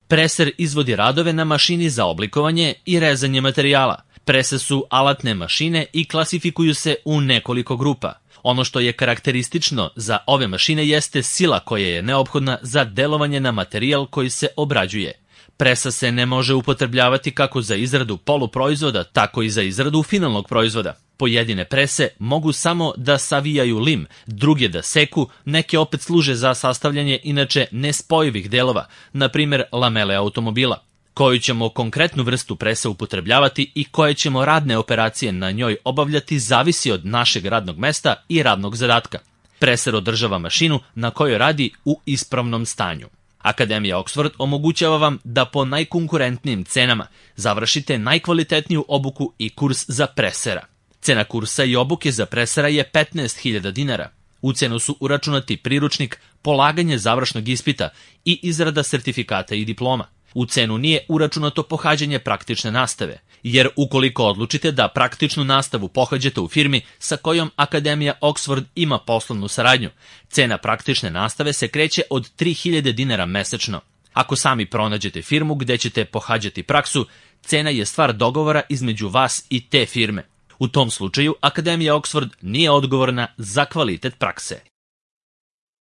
Preser izvodi radove na mašini za oblikovanje i rezanje materijala. Prese su alatne mašine i klasifikuju se u nekoliko grupa. Ono što je karakteristično za ove mašine jeste sila koja je neophodna za delovanje na materijal koji se obrađuje. Presa se ne može upotrebljavati kako za izradu poluproizvoda, tako i za izradu finalnog proizvoda. Pojedine prese mogu samo da savijaju lim, druge da seku, neke opet služe za sastavljanje inače nespojivih delova, na primjer lamele automobila. Koju ćemo konkretnu vrstu presa upotrebljavati i koje ćemo radne operacije na njoj obavljati zavisi od našeg radnog mesta i radnog zadatka. Preser održava mašinu na kojoj radi u ispravnom stanju. Akademija Oxford omogućava vam da po najkonkurentnijim cenama završite najkvalitetniju obuku i kurs za presera. Cena kursa i obuke za presera je 15.000 dinara. U cenu su uračunati priručnik, polaganje završnog ispita i izrada sertifikata i diploma. U cenu nije uračunato pohađanje praktične nastave, jer ukoliko odlučite da praktičnu nastavu pohađate u firmi sa kojom Akademija Oxford ima poslovnu saradnju, cena praktične nastave se kreće od 3.000 dinara mesečno. Ako sami pronađete firmu gde ćete pohađati praksu, cena je stvar dogovora između vas i te firme. U tom slučaju Akademija Oxford nije odgovorna za kvalitet prakse.